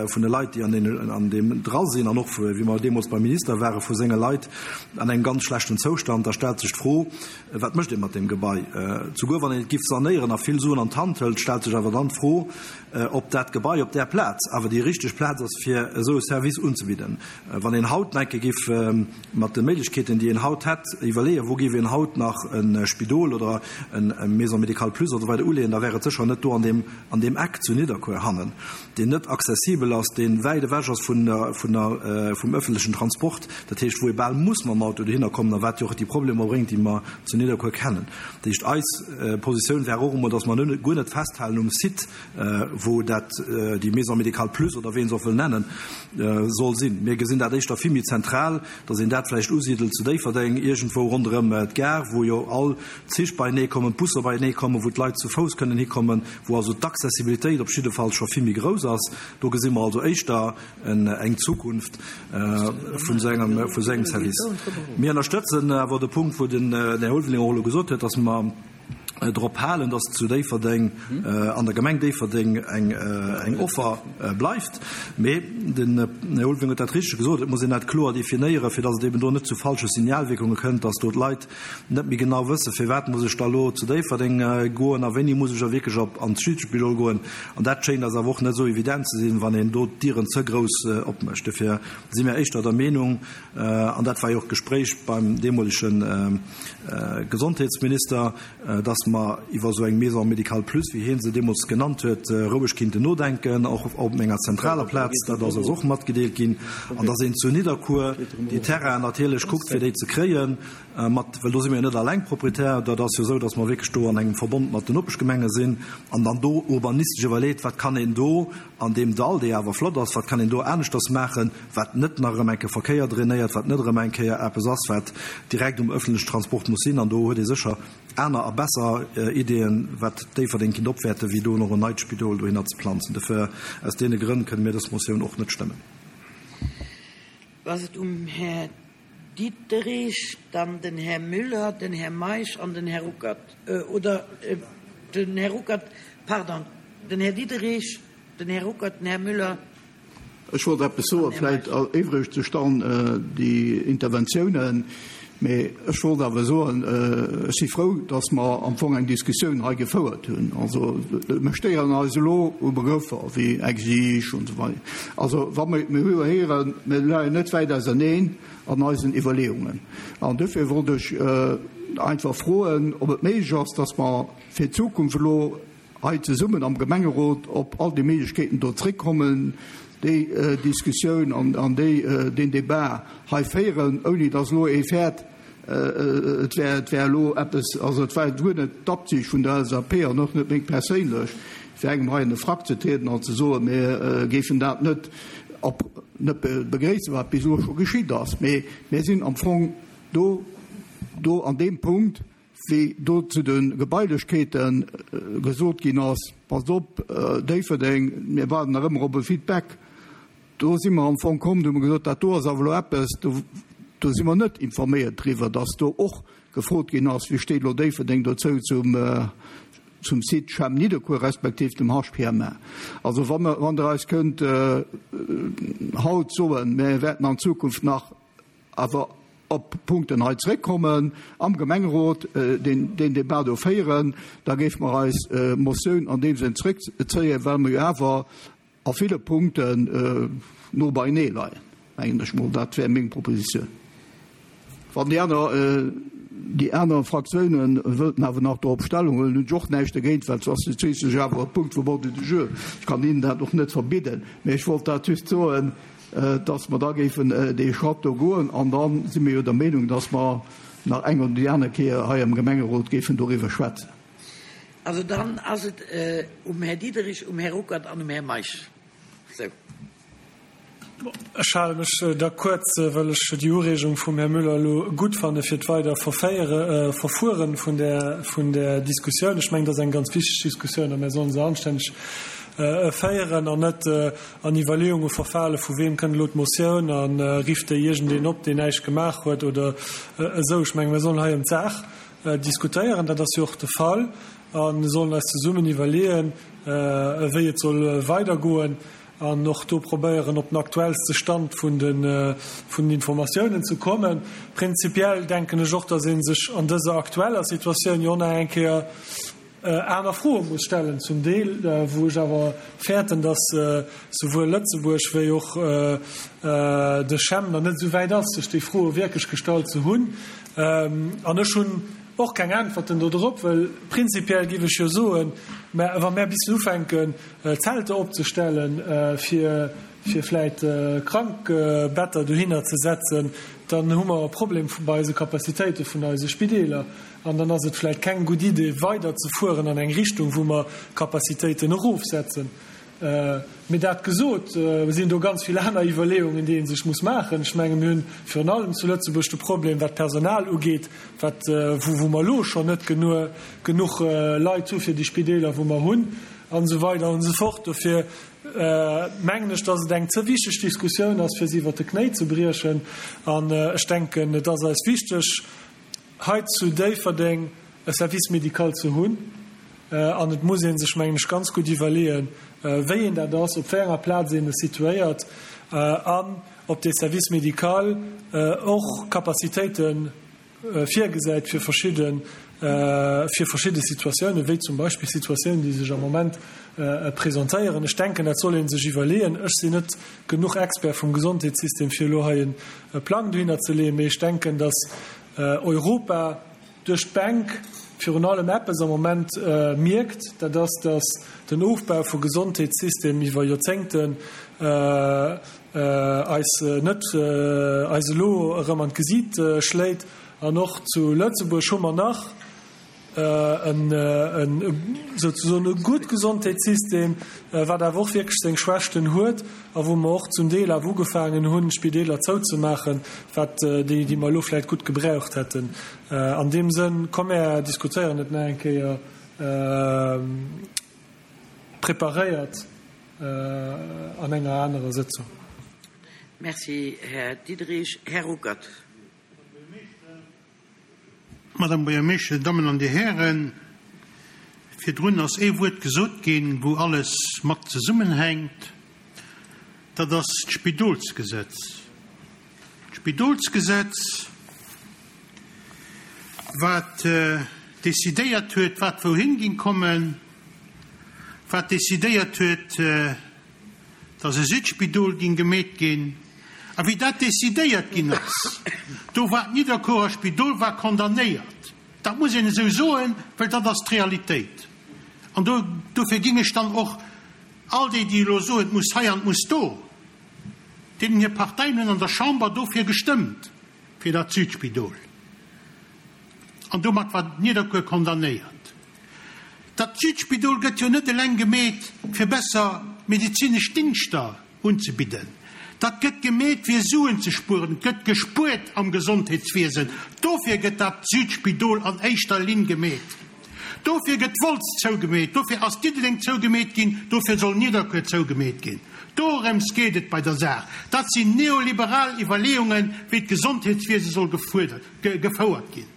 vun de Leit, déi an den, an deem dra sinn, an och wéi mer deemools beim Minister ware vu senge Leit, an engem ganz schlechten Zoustand. Da stellt sech d'Fro, wat mécht ee mat deem Gebai? Souguer wann een et giff sanéieren a vill Suen an d'Hand hëlt, stellt sech awer dann d'Fro, ob dat Gebai op där Plaz awer déi richteg Plaz ass, fir esou e Service unzebidden. Wann een haut nach eng Kéier giff mat de Méiglechkeeten, déi een haut hätt, iwwerleeën, wou giff een haut nach e Spidol oder eng Maison médicale plus oder esou weider uleeën, da wär et sécher net do an deem, an deem Eck zu Nidderkuer hannen, deen net accessibel ass, deen wäit ewech ass vun der, vun der, vum öffentlichen Transport, dat heescht, wou ee bal muss mam Auto dohinner kommen a wat jo och déi Problemer bréngt, déi mer zu Nidderkuer kennen. Dat heescht, eis Positioun wär och emol, dass mer net, guer net festhalen um Site, wou dat, déi Maison médicale plus oder wéi een se och wëll nennen, soll sinn. Mir gesinn dat éischter vill méi zentral, dass een dat vläicht usidelt zu Déifferdeng, iergendwou ronderëm d'Gare, wou jo all d'Zich beienee kommen, d'Busser beienee kommen, wou d'Leit zu Fouss kënnen hikommen, wou also d'Accessibilitéit op jidde Fall scho vill méi grouss ass. Do gesi mer also éischter eng Zukunft vun esou engem, vun esou engem Service. Mir ënnerstëtzen awer de Punkt, wou den Här Ulveling och elo gesot huet, dass mer drop halen, dass zu Déifferdeng, an der Gemeng Déifferdeng eng, eng Offer bleift. Mee den Här Ulveling huet dat richteg gesot, et muss een dat kloer definéieren, fir dass et eben do net zu falsche Signalwirkunge kënnt, dass do d'Leit net méi genau wëssen, firwat muss ech da elo zu Déifferdeng goen a wéini muss ech da wierklech op an d'Südspidol goen. An dat schéint eis awer och net esou evident ze sinn, wann een do d'Dieren ze grouss opmécht. Dofir si mir éischter der Meenung, an dat war jo och d'Gespréich beim deemolege Gesondheetsminister, dass mer iwwer esou eng Maison médicale plus, wéi hie se deemools genannt huet, roueg kinnten nodenken, och op enger zentraler Plaz, dat ass eis och matgedeelt ginn, an dass een zu Nidderkuer déi Terrainen natierlech kuckt, fir déi ze kréien, mat, well do si mir jo net alleng Proprietär, dat ass jo esou, dass mer wierklech do an engem Verbond mat den Nopeschgemenge sinn, an dann do urbanistesch iwwerleet, wat kann een do an deem Dall, dee awer flott ass, wat kann een do aneschters maachen, wat net nach erëm eng Kéier Verkéier drainéiert, wat net erëm eng Kéier eppes ass, wat direkt um öffentlechen Transport muss sinn. An do huet ee sécher aner a besser Ideeën, wat Déifferdeng kinnt opwäerten, wéi do nach en neit Spidol dohinner ze planzen. Dofir, aus deene Grënn kënne mir dës Motioun och net stëmmen. Ass et um Här Diderich, dann den Här Müller, den Här Meisch an den Här Ruckert. Oder den Här Ruckert, pardon, den Här Diderich, den Här Ruckert, den Här Müller. Ech wollt eppes soen, vläicht er'iwwregt sech dann déi Interventiounen, mee ech wollt awer soen, ech si frou, dass mer am Fong eng Diskussioun hei gefouert hunn. Also mir stéieren eis elo u Begrëffer wéi exige und esou weider. Also wa mer, mir hu jo héieren, mir leien net wäit auserneen an eisen Iwwerleeungen. An dofir wollt ech einfach froen, ob et méiglech ass, dass mer fir d'Zukunft elo hei zesummen am Gemengerot op all déi Méiglechkeeten do zréckkommen, déi Diskussioun an déi, deen Débat hei féieren, ouni dass elo ee fäert, et wär, et wär elo eppes, also et war guer net d'Absicht vun der L S A P an och net meng perséinlech, fir engem hei an de Frack ze trieden an ze soen, mir géifen dat net op, net begréissen, wat bis elo scho geschitt ass. Mee mir sinn am Fong do, do an deem Punkt, wéi do zu de Gebailechkeete gesot ginn ass, passt op, Déifferdeng, mir waarden nach ëmmer op e Feedback. Do si mer am Fong komm, do hu mer gesot, dat do ass awer elo eppes, do, do si mer net informéiert driwwer, dass do och gefrot ginn ass, wéi steet elo Déifferdeng dozou zum, zum Site CHEM Nidderkuer respektiv dem H P M A. Also wann mer, wann der eis kënnt, äh, haut soen, mir wäerten an Zukunft nach awer op Punkten hei zréckkommen, am Gemengerot, äh, den, den Debat do féieren, da géif mer eis, äh, Motioun an deem Sënn zréckzéien, well mer jo awer a ville Punkten, äh, no beinee leien. Mengen ech mol, dat wär meng Propositioun. Wann déi aner, äh, déi aner Fraktiounen wëllten awer nach dorop Stellung huelen, hunn ech och näischt dogéint, well et ass schliisslech awer e Punkt vum Ordre du jour. Ech kann Ihnen dat och net verbidden, mee ech wollt dat just soen, äh, dass mer da géifen, äh, dee Schratt do goen, an dann si mir jo der Meenung, dass mer nach eng oder déi aner Kéier hei am Gemengerot géifen doriwwer schwätzen. Also dann ass et, äh, um Här Diderich, um Här Ruckert an um Här Meisch. So. Ech hale mech da kuerz, well ech déi Ureegung vum Här Müller elo gutt fanne fir d'weider Verféiere, äh, Verfueren vun der, vun der Diskussioun. Ech mengen, das ist eng ganz wichteg Diskussioun, a mir sollen se anstänneg, äh, féieren an net, äh, an Iwwerleeunge verfale, vu wem kënnt elo d'Motioun an, äh, rifft déi iergendeen op, deen näischt gemaach huet oder, äh, esou. Ech mengen, mir sollen hei ëm d'Saach, äh, diskutéieren, dat ass jo och de Fall, an sollen eis zesummen iwwerleeën, äh, wéi et soll weidergoen an och do probéieren, op den aktuellste Stand vun den, äh, vun den Informatiounen ze kommen. Prinzipiell denken ech och, dass een sech an dëser aktueller Situatioun jo nach eng Kéier, äh, aner Froe muss stellen, zum Deel, äh, wou ech awer fäerten, dass, äh, souwuel Lëtzebuerg wéi och, äh, äh, de CHEM nach net so wäit ass, sech déi Froe wierklech gestallt ze hunn. Ähm, an ech hunn och keng Antworten do drop, well prinzipiell géif ech jo soen, mä wa mir bis ufänken, äh, Zelte opzestellen, äh, fir, fir vläicht, äh, Krankbetter dohinner ze setzen, dann hu mer e Problem bei eise Kapazitéite vun eise Spideeler. An dann ass et vläicht keng gutt Idee, weider ze fueren an eng Richtung, wou mer Kapazitéiten erofsetzen. Äh, mee dat gesot, äh, sinn do ganz vill aner Iwwerleeungen, déi een sech muss maachen. Ech menge, mir hunn virun allem zu Lëtzebuerg de Problem, wat Personal ugeet, wat, äh, wou, wou mer elo schonn net genuch, genuch, äh, Leit hu fir déi Spideeler, wou mer hunn, an esou weider an esou fort. Dofir, äh, mengen ech, dass et eng ze wichteg Diskussioun ass, fir si iwwer de Knéi ze briechen. An, äh, ech denken, et ass eis wichteg, hei zu Déifferdeng e Service médical ze hunn. Äh, an et muss een sech, mengen ech, ganz gutt iwwerleeën, äh, wéi een dat ass, op wéi enger Plaz een es situéiert, äh, an ob de Service médical, äh, och Kapazitéiten, äh, virgesäit fir verschidden, äh, fir verschidde Situatiounen, wéi zum Beispill Situatiounen, déi sech am Moment, äh, presentéieren. Ech denken, dat soll een sech iwwerleeën. Ech sinn net genuch Expert vum Gesondheetssystem, fir elo hei en Plang dohinner ze leeën, mee ech denken, dass, äh, Europa duerch d'Bank virun allem eppes am Moment mierkt, dat ass, datt den Ofbau vu Gesondheetssystem iwwer Joerzéngten eis net eis elo erëm an d'Gesiit schléit. An och zu Lëtzebuerg hu mer nach en souzesoen e gutt Gesondheetssystem, wat awer och wierklech seng Schwächten huet a wou mer och zum Deel awer ugefaangen hunn, Spideeler zouzemaachen, wat déi, déi mer elo vläicht gutt gebraucht hätten. An deem Sënn, komm mer diskutéieren et nach eng Kéier preparéiert an enger anerer Sëtzung. Merci, Här Diderich. Här Ruckert. Madame Buergermeeschter, Dir Dammen an Dir Hären, virdrun ass ee Wuert gesot ginn, wou alles mat zesummenhänkt, dat ass d'Spidolsgesetz. D'Spidolsgesetz, wat decidéiert huet, wat wouhin ging kommen, wat decidéiert huet, dass e Südspidol ging gemeet ginn. A wéi dat decidéiert ginn ass, do war d'Nidderkuerer Spidol war condamnéiert. Dat muss een esou soen, well dat ass d'Realitéit. An do, dofir ging ech dann och all déi, déi elo soen, et muss hei an et muss do, deenen hir Parteien hunn an der Chamber dofir gestëmmt, fir dat Südspidol. An domat war Nidderkuer condamnéiert. Dat Südspidol gëtt jo net eleng gemeet, fir besser medezinesch Dingschter unzebidden. Dat gëtt gemeet, fir Suen ze spueren. Et gëtt gespuert am Gesondheetswiesen. Dofir gëtt dat Südspidol an éischter Linn gemeet. Dofir gëtt Wolz zougemeet. Dofir ass Diddeleng zougemeet ginn. Dofir soll Nidderkuer zougemeet ginn. Dorëms geet et bei der Saach. Dat sinn neoliberal Iwwerleeungen, wéi d'Gesondheetswiese soll gefouert ginn.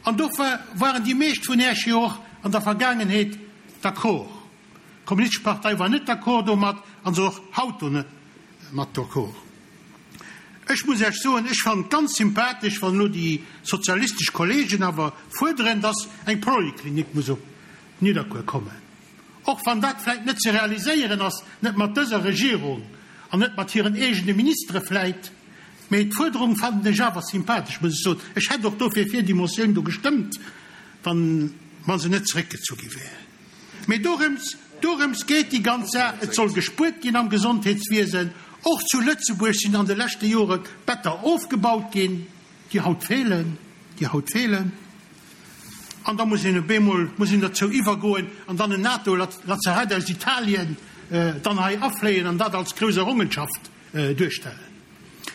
An dofir waren déi meescht vun Iech jo och an der Vergaangenheet d'accord. D'Kommunistesch Partei war net d'accord domat an se och haut do net mat d'accord. Ech muss Iech soen, ech fannen et ganz sympathesch, wann elo déi sozialistesch Kollegen awer fuerderen, dass eng Poliklinik muss op Nidderkuer kommen. Och wann dat vläit net ze realiséieren ass, net mat dëser Regierung an net mat hiren eegene Ministere vläit, mee d'Fuerderung fannen ech awer sympathesch, muss ech soen. Ech hätt och dofir fir déi Motioun do gestëmmt, wann, wa se net zeréckgezu gi wär. Mee dorëms, dorëms geet déi ganz Saach, Et soll gespuert ginn am Gesondheetswiesen. Och zu Lëtzebuerg sinn an de leschte Jore Better ofgebaut ginn, déi haut feelen, déi haut feelen. An da muss een op eemol, muss een derzou iwwergoen an dann en NATO-Lazarett aus Italien dann hei afléien an dat als grouss Errungenschaft duerstellen.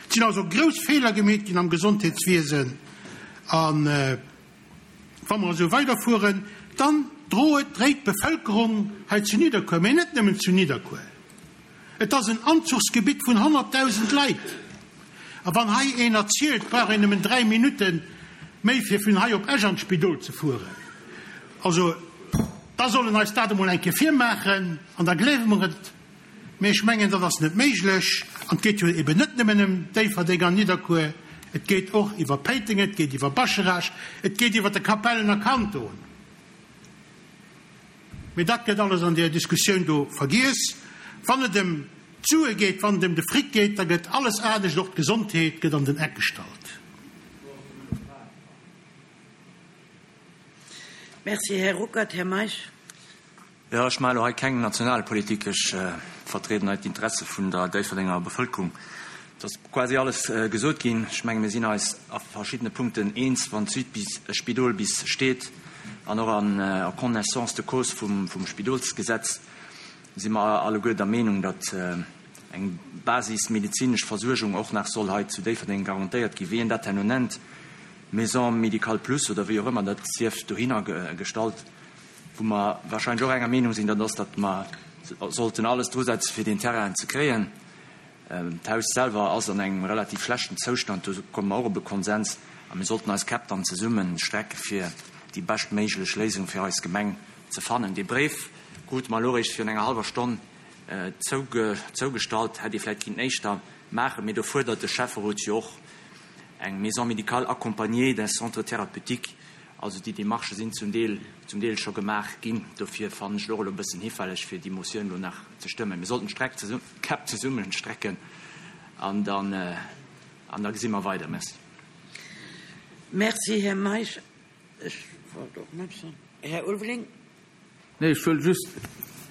Et sinn also grouss Feeler gemeet ginn am Gesondheetswiesen. A wa mer esou weiderfueren, dann droet, dréit d'Bevëlkerung hei zu Nidderkuer, mee net nëmmen zu Nidderkuer, et ass en Anzuchsgebitt vun honnertdausend Leit. A wann hei een erzielt, brauch een nëmmen dräi Minutte méi fir vun hei op Esch an d'Spidol ze fueren, also da soll en eis dat emol eng Kéier virmaachen an da gleewe mer et. Mee ech mengen, dat ass net méiglech. An et geet jo eben net nëmmen ëm Déifferdeng an Nidderkuer, et geet och iwwer Péiteng, et geet iwwer Bascharage, et geet iwwer de Kapellener Kanton. Mee dat gëtt alles an där Diskussioun do vergiess. Wann et ëm d'Sue geet, wann et ëm de Fric geet, da gëtt alles anescht, och d'Gesondheet gëtt an den Eck gestallt. Merci, Här Ruckert. Här Meisch. Jo, ech maache elo hei keng Nationalpolitik. Ech vertrieden hei d'Interesse vun der Déifferdenger Bevëlkerung. Et ass quasi alles gesot ginn. Ech menge mir sinn eis a verschiddene Punkten eens, wann d'Südspidol bis steet an och an connaissance de cause vum Spidolsgesetz si mer alleguer der Meenung, datt eng basismedezinesch Versuergung och nach soll hei zu Déifferdeng garantéiert ginn. Wéi een dat herno nennt, Maison médicale plus oder wéi och ëmmer, dat sief dohinner gestallt. Wou mer wahrscheinlech och enger Meenung sinn, dat ass, datt mer sollten alles drusetzen, fir deen Terrain ze kréien. D'Haus selwer ass an engem relativ schlechten Zoustand, do komme mer och op e Konsens a mir sollten eis Käpp dann zesumme strecke fir déi beschtméiglech Léisung fir eis Gemeng ze fannen. Dee Bréif krute mer elo eréischt virun enger hallwer Stonn zougestallt, hätt ee vläicht kinnten éischter maachen, mee do fuerdert de Schäfferot jo och eng Maison médicale accompagnée d'un centre thérapeutique. Also déi Démarchë sinn zum Deel, zum Deel scho gemaach ginn. Dofir fannen ech et och elo e bëssen hifälleg, fir déi Motioun elo nach ze stëmmen. Mir sollten d'Streck zesum, d'Käpp zesummen strecken an dann, an da gesi mer weider. Merci. Merci, Här Meisch. Ech wollt och net. Här Ulveling. Nee, ech wëll just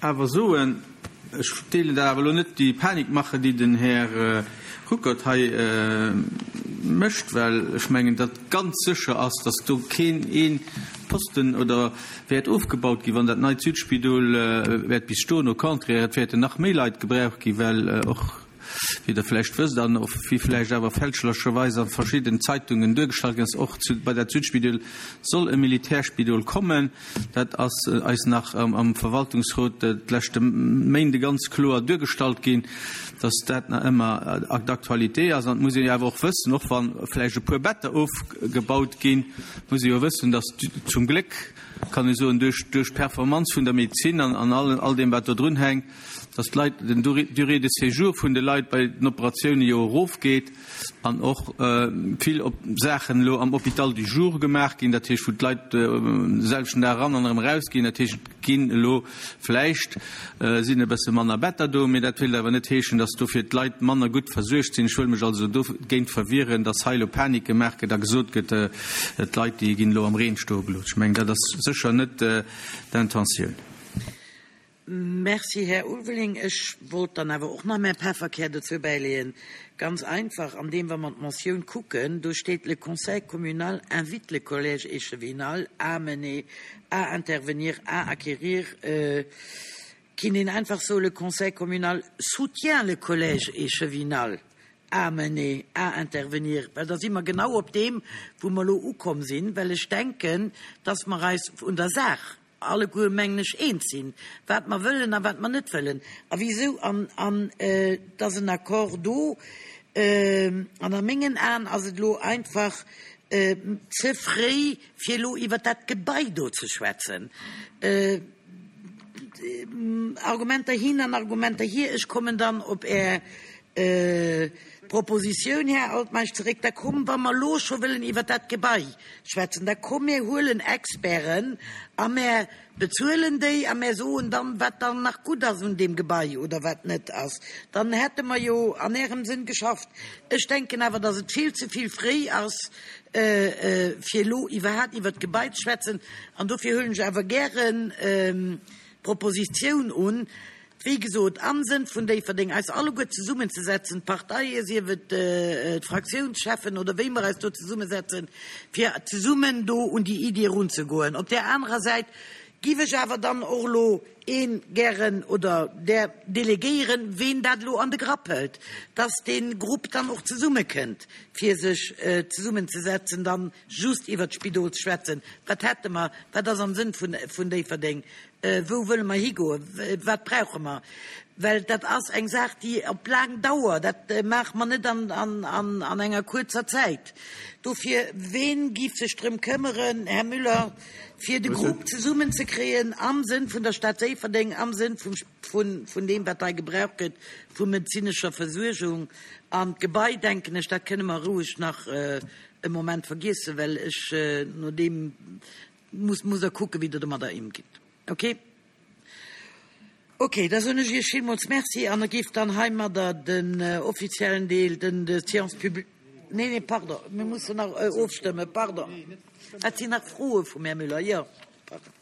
awer soen, ech deelen dat awer elo net, déi Panikmache, déi den Här Ruckert hei mécht, well ech mengen, datt ganz sécher ass, datt do keen ee Posten oder wäert ofgebaut ginn, wann dat neit Südspidol wäert bis stoen. Au contraire, et wäerten nach méi Leit gebraucht ginn, well och, wéi Der vläicht wësst an och wéi vläicht awer fälschlecherweis a verschidden Zeitungen duergestallt ginn ass, och zu, bei dat Südspidol soll e Militärspidol kommen. Dat ass eis nach am Verwaltungsrot d'leschte Méinde ganz kloer duergestallt ginn, dass dat nach ëmmer d'actualité ass. An et muss een jo awer och wëssen, och wa vläicht e puer Better ofgebaut ginn, muss ee jo wëssen, dass zum Gléck, kann ee soen, duerch d'Performanz vun der Medezin an all deem, wat do drunhänkt, dass d'Leit, den Durée de séjour vun de Leit bei den Operatioune jo erofgeet an och vill Saachen elo am Hôpital du jour gemaach ginn, dat heescht, wou d'Leit de selwechten Dag eran an erëm erausginn. Dat heescht, et ginn elo vläicht sinn e bësse manner Better do, mee dat wéilt awer net heeschen, dass dofir d'Leit manner gutt versuergt sinn. Ech wëll mech also dogéint verwieren, dass hei elo Panik gemaach gëtt a gesot gëtt, d'Leit, déi ginn elo am Reen stoe gelooss. Ech mengen, dat ass sécher net d'Intentioun. Merci, Här Ulveling. Ech wollt dann awer och nach mäi Pefferkär dozou bäileeën. Ganz einfach, andeem wa mer d'Motioun kucken, do steet, Le Conseil communal invite le Collège échevinal à mener, à intervenir, à acquérir. Kinnt een einfach soen, Le Conseil communal soutient le Collège échevinal à mener, à intervenir, well da si mer genau op deem, wou mer elo ukomm sinn, well ech denken, dass mer eis un der Saach alleguer, mengen ech, eens sinn, wat mer wëllen a wat mer net wëllen a wisou, an, an et ass en Accord do. An a mengen Aen ass et elo einfach ze fréi, fir elo iwwert dat Gebai do ze schwätzen. Argumenter hin an Argumenter hier. Ech kommen dann op Är Propositioun, Här Altmeisch, zeréck. Da komm, wa mer elo scho wëllen iwwert dat Gebai schwätzen, da komm, mir huelen Experten a mir bezuelen déi a mir soen dann, wat dann nach gutt ass un deem Gebai oder wat net ass. Dann hätte mer jo an Ärem Sënn geschafft. Ech denken awer, dass et vill ze vill fréi ass, fir elo iwwerhaapt iwwert d'Gebai ze schwätzen. An dofir huelen ech awer gären d'Propositioun un, wéi gesot, am Sënn vun Déifferdeng, eis alleguer zesummenzesetzen, d'Parteien, sief et d'Fraktiounscheffen oder wéi mer eis do zesummesetzen, fir zesummen do un déi Iddi erunzegoen. Op där anerer Säit giff ech awer dann och elo ee gären oder där delegéieren, ween dat elo an de Grapp hëlt, dass dee Grupp dann och zesummekënnt, fir sech zesummenzesetzen, dann just iwwert d'Spidol ze schwätzen. Wat hätte mer? Wat ass am Sënn vun Déifferdeng? Wou wëlle mer higoen? Wat brauche mer? Well dat ass eng Saach, déi op laang Dauer, dat maache mer net an enger kuerzer Zäit. Dofir, ween giff sech drëm këmmeren, Här Müller, fir de Grupp zesummenzekréien am Sënn vun der Stad Déifferdeng, am Sënn vun deem, wat hei gebraucht gëtt vu medezinescher Versuergung? An d'Gebai, denken ech, dat kënne mer roueg nach e Moment vergiessen, well ech no deem muss, musst Der kucken, wéi Der domadder émgitt. Ok. Ok, da soen ech Iech villmools Merci an da géif dann heimadder den offiziellen Deel, den de Séance publique, nee, nee, pardon, mir mussen nach ofstëmmen, pardon, et sinn nach Froe vum Här Müller, jo, pardon.